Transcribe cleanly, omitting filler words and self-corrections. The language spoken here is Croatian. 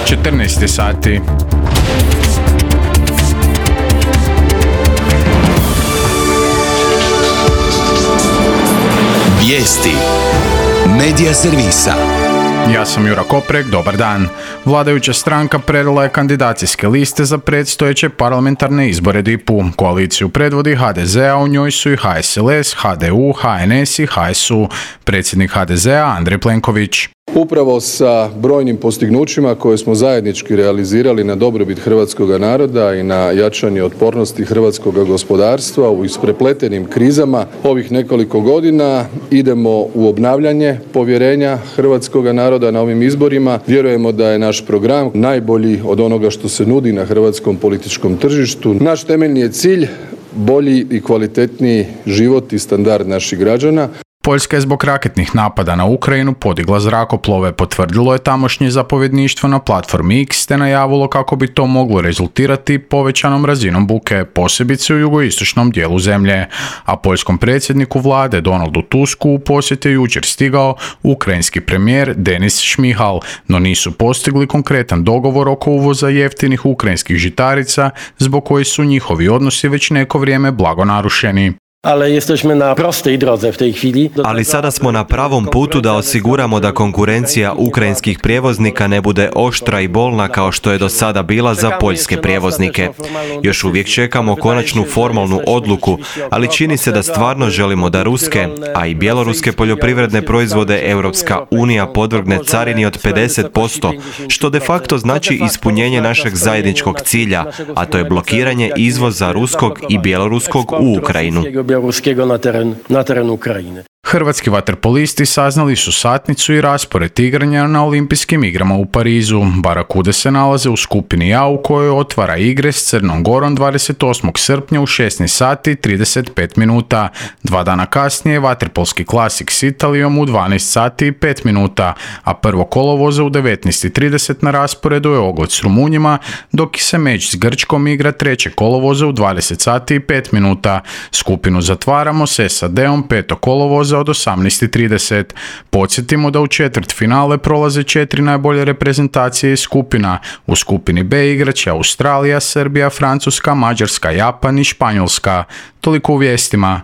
14 sati. Vijesti Medija servisa. Ja sam Jura Koprek, dobar dan. Vladajuća stranka predala je kandidacijske liste za predstojeće parlamentarne izbore DIP-u. Koaliciju predvodi HDZ, a u njoj su i HSLS, HDU, HNS i HSU. Predsjednik HDZ-a Andrej Plenković. Upravo sa brojnim postignućima koje smo zajednički realizirali na dobrobit hrvatskoga naroda i na jačanje otpornosti hrvatskoga gospodarstva u isprepletenim krizama ovih nekoliko godina idemo u obnavljanje povjerenja hrvatskoga naroda na ovim izborima. Vjerujemo da je naš program najbolji od onoga što se nudi na hrvatskom političkom tržištu. Naš temeljni je cilj bolji i kvalitetniji život i standard naših građana. Poljska je zbog raketnih napada na Ukrajinu podigla zrakoplove, potvrdilo je tamošnje zapovjedništvo na platformi X te najavilo kako bi to moglo rezultirati povećanom razinom buke, posebice u jugoistočnom dijelu zemlje. A poljskom predsjedniku vlade Donaldu Tusku u posjet je jučer stigao ukrajinski premijer Denis Šmihal, no nisu postigli konkretan dogovor oko uvoza jeftinih ukrajinskih žitarica, zbog kojih su njihovi odnosi već neko vrijeme blago narušeni. Ali sada smo na pravom putu da osiguramo da konkurencija ukrajinskih prijevoznika ne bude oštra i bolna kao što je do sada bila za poljske prijevoznike. Još uvijek čekamo konačnu formalnu odluku, ali čini se da stvarno želimo da ruske, a i bjeloruske poljoprivredne proizvode Europska unija podvrgne carini od 50%, što de facto znači ispunjenje našeg zajedničkog cilja, a to je blokiranje izvoza ruskog i bjeloruskog u Ukrajinu. na teren Ukrajine. Hrvatski vaterpolisti saznali su satnicu i raspored igranja na olimpijskim igrama u Parizu. Barakude se nalaze u skupini A u kojoj otvara igre s Crnom Gorom 28. srpnja u 16 sati 35 minuta. 2 dana kasnije vaterpolski klasik s Italijom u 12 sati i 5 minuta, a prvo kolovoza u 19.30 na rasporedu je Ogled s Rumunjima, dok se meč s Grčkom igra 3. kolovoza u 20 sati i 5 minuta. Skupinu zatvaramo s SAD-om 5. kolovoza od 18.30. Podsjetimo da u četvrtfinale prolaze 4 najbolje reprezentacije iz skupina. U skupini B igraće Australija, Srbija, Francuska, Mađarska, Japan i Španjolska. Toliko u vijestima.